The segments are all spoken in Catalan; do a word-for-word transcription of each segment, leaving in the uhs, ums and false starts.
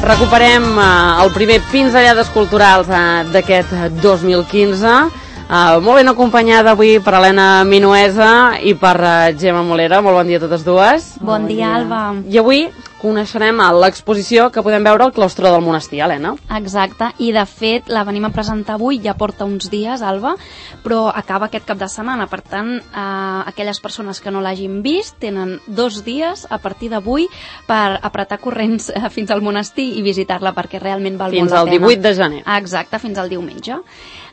recuperem uh, el primer Pinzellades Culturals uh, d'aquest dos mil quinze, uh, molt ben acompanyada avui per Helena Minuesa i per uh, Gemma Molera. Molt bon dia a totes dues. Bon, bon dia, dia, Alba. I avui coneixerem l'exposició que podem veure al claustre del monestir, Helena. Exacte, i de fet la venim a presentar avui, ja porta uns dies, Alba, però acaba aquest cap de setmana. Per tant, eh, aquelles persones que no l'hagin vist tenen dos dies a partir d'avui per apretar corrents eh, fins al monestir i visitar-la, perquè realment val fins molt la pena. Fins al divuit de gener. Exacte, fins al diumenge.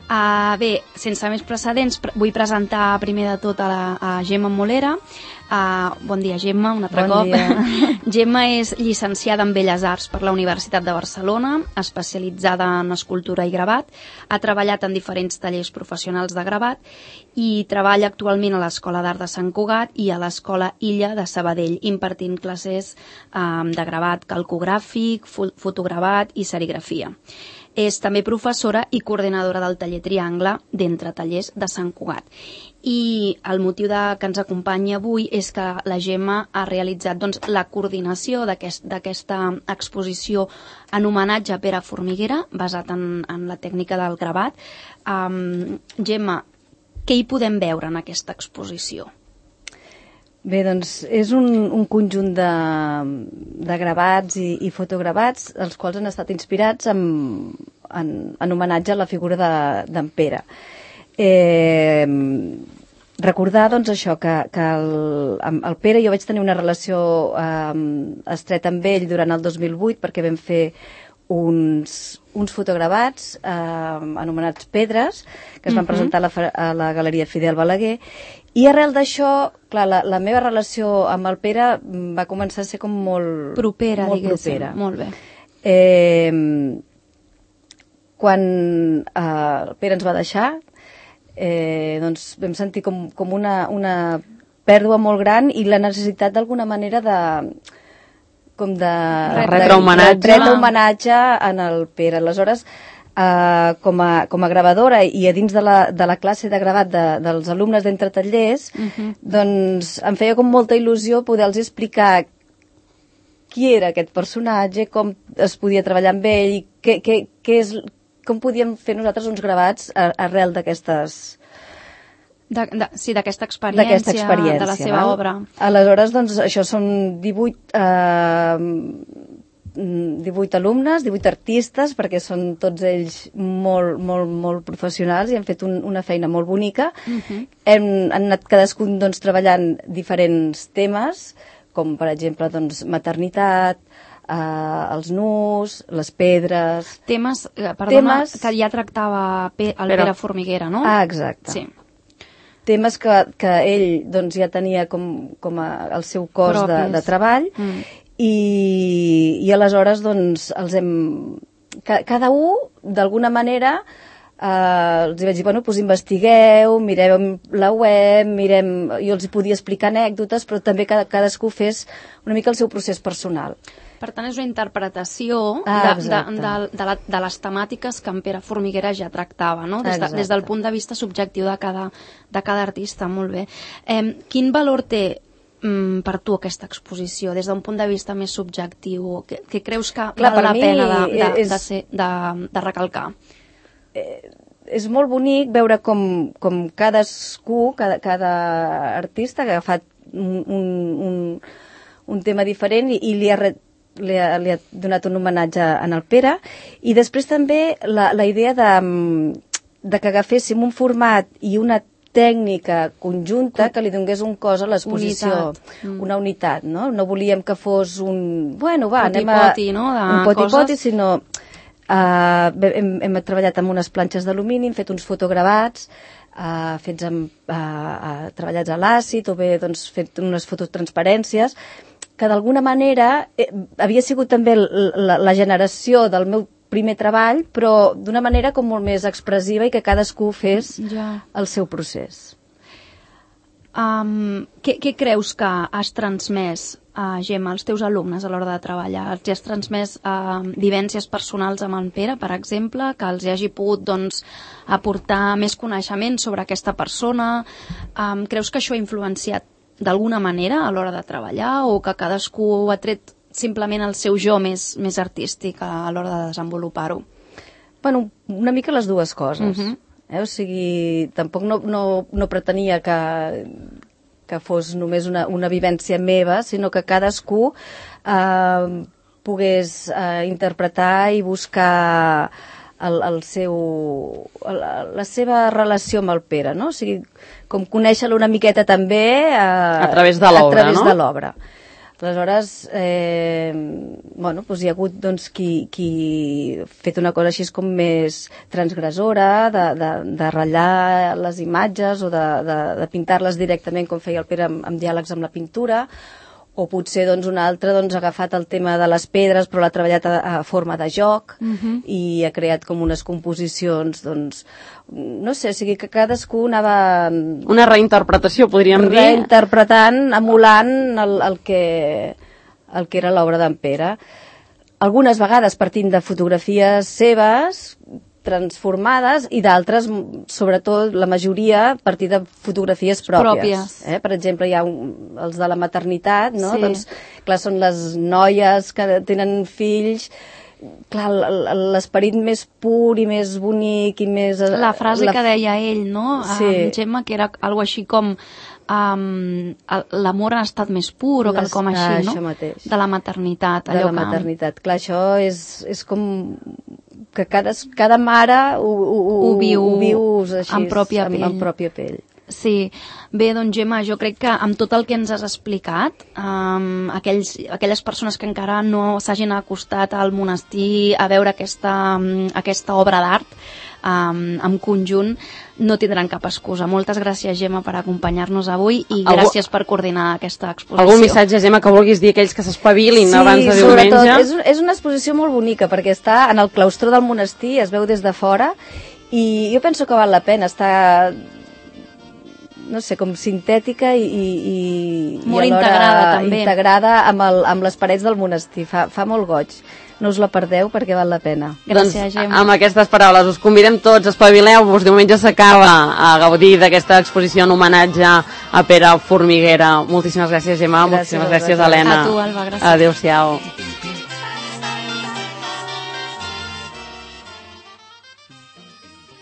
Uh, bé, sense més precedents, pre vull presentar primer de tot a, la, a Gemma Molera. Uh, bon dia, Gemma, un altre bon cop. Dia. Gemma és llicenciada en Belles Arts per la Universitat de Barcelona, especialitzada en escultura i gravat. Ha treballat en diferents tallers professionals de gravat i treballa actualment a l'Escola d'Art de Sant Cugat i a l'Escola Illa de Sabadell, impartint classes um, de gravat calcogràfic, fo fotogravat i serigrafia. És també professora i coordinadora del taller Triangle d'Entre Tallers de Sant Cugat. I el motiu de, que ens acompanya avui és que la Gemma ha realitzat doncs, la coordinació d'aquesta aquest, exposició en homenatge a Pere Formiguera, basat en, en la tècnica del gravat. Um, Gemma, què hi podem veure en aquesta exposició? Bé, doncs és un, un conjunt de, de gravats i, i fotogravats, els quals han estat inspirats en, en, en homenatge a la figura d'en Pere. Eh, recordar, doncs, això, que, que el, amb el Pere jo vaig tenir una relació eh, estreta amb ell durant el dos mil vuit, perquè vam fer uns, uns fotogravats eh, anomenats Pedres, que es van uh-huh. presentar a la, a la Galeria Fidel Balaguer. I arrel d'això, clar, la, la meva relació amb el Pere va començar a ser com molt propera, molt diguéssim. Propera. Molt bé. Eh, quan eh, el Pere ens va deixar, eh, doncs vam sentir com, com una, una pèrdua molt gran i la necessitat d'alguna manera de com de retre homenatge. retre homenatge en el Pere. Aleshores, Uh, com, a, com a gravadora i a dins de la, de la classe de gravat de, dels alumnes d'Entre Tallers, uh-huh. doncs em feia com molta il·lusió poder-los explicar qui era aquest personatge, com es podia treballar amb ell i què, què, què és, com podíem fer nosaltres uns gravats arrel d'aquestes... De, de, sí, d'aquesta experiència, experiència, de la seva val? obra. Aleshores, doncs, això són divuit... Uh, divuit alumnes, divuit artistes, perquè són tots ells molt, molt, molt professionals i han fet un, una feina molt bonica. Uh-huh. Hem, han anat cadascun doncs, treballant diferents temes, com per exemple doncs, maternitat, eh, els nus, les pedres... Temes, perdona, temes... que ja tractava Pe el Però... Pere Formiguera, no? Ah, exacte. Sí. Temes que, que ell doncs, ja tenia com, com a, el seu cos de, de treball, mm. I, i aleshores doncs els hem cada un d'alguna manera eh, els vaig dir, bueno, doncs investigueu, mireu la web, mirem, jo els podia explicar anècdotes, però també cada, cadascú fes una mica el seu procés personal. Per tant, és una interpretació ah, de, de, de, de, la, de les temàtiques que en Pere Formiguera ja tractava, no? Des, de, des del punt de vista subjectiu de cada, de cada artista, molt bé. Eh, quin valor té per tu aquesta exposició, des d'un punt de vista més subjectiu? Què, què creus que Clar, val la pena de, de, és, de, ser, de, de recalcar? Eh, és molt bonic veure com, com cadascú, cada, cada artista ha agafat un, un, un, un tema diferent i, i li, ha, li, ha, li ha donat un homenatge en el Pere, i després també la, la idea de, de que agaféssim un format i una tècnica conjunta que li donés un cos a l'exposició, mm. una unitat, no? No volíem que fos un... Bueno, va, poti, anem a... Poti, no? De un poti-poti, coses... sinó... Uh, hem, hem treballat amb unes planxes d'alumini, hem fet uns fotogravats, uh, fets amb, uh, uh, treballats a l'àcid, o bé doncs, fet unes fototransparències, que d'alguna manera eh, havia sigut també la, la generació del meu primer treball, però d'una manera com molt més expressiva i que cadascú fes ja. el seu procés. Um, què, què creus que has transmès, uh, Gemma, als teus alumnes a l'hora de treballar? Els has transmès uh, vivències personals amb en Pere, per exemple, que els hagi pogut doncs, aportar més coneixement sobre aquesta persona? Um, creus que això ha influenciat d'alguna manera a l'hora de treballar, o que cadascú ha tret simplement el seu jo més, més artístic a l'hora de desenvolupar-ho? Bueno, una mica les dues coses. Uh-huh. eh? O sigui, tampoc no, no, no pretenia que, que fos només una, una vivència meva, sinó que cadascú eh, pogués eh, interpretar i buscar el, el seu, la, la seva relació amb el Pere, no? O sigui, com conèixer-lo una miqueta també eh, a través de l'obra, a través no? de l'obra. Aleshores, eh, bueno, doncs hi ha hagut doncs, qui, qui ha fet una cosa així com més transgressora, de, de, de ratllar les imatges o de, de, de pintar-les directament com feia el Pere amb, amb diàlegs amb la pintura, o potser doncs, un altre doncs, ha agafat el tema de les pedres però l'ha treballat a, a forma de joc uh-huh. i ha creat com unes composicions, doncs, no sé, o sigui que cadascú anava... Una reinterpretació, podríem dir. Reinterpretant, emulant el, el, que, el que era l'obra d'en Pere. Algunes vegades partint de fotografies seves, transformades, i d'altres, sobretot la majoria, a partir de fotografies pròpies. pròpies. Eh? Per exemple, hi ha un, els de la maternitat, no? Sí. Doncs, clar, són les noies que tenen fills, clar, l'esperit més pur i més bonic i més... La frase la... que deia ell, no? Sí. Um, Gemma, que era algo així com um, l'amor ha estat més pur o Les... quelcom així, ah, no? Això mateix. De la maternitat. De allò la que... maternitat. Clar, això és, és com que cada, cada mare ho, ho, ho viu, ho vius així, en pròpia amb, pell. amb pròpia pell. Sí, bé, doncs Gemma, jo crec que amb tot el que ens has explicat, um, aquells, aquelles persones que encara no s'hagin acostat al monestir a veure aquesta, um, aquesta obra d'art um, en conjunt, no tindran cap excusa. Moltes gràcies, Gemma, per acompanyar-nos avui i Algú... gràcies per coordinar aquesta exposició. Algun missatge, Gemma, que vulguis dir a aquells que s'espavilin sí, abans de diumenge? diumenge? És, és una exposició molt bonica perquè està en el claustró del monestir, es veu des de fora, i jo penso que val la pena estar... no sé, com sintètica i, i, i molt i alhora integrada també integrada amb, el, amb les parets del monestir, fa, fa molt goig, no us la perdeu perquè val la pena. Gràcies, doncs, Gemma. Amb aquestes paraules us convidem tots, espavileu-vos, diumenge s'acaba a gaudir d'aquesta exposició en homenatge a Pere Formiguera. Moltíssimes gràcies, Gemma, Gràcies, moltíssimes gràcies, Alba. Helena. A tu, Alba, gràcies. Adéu-siau.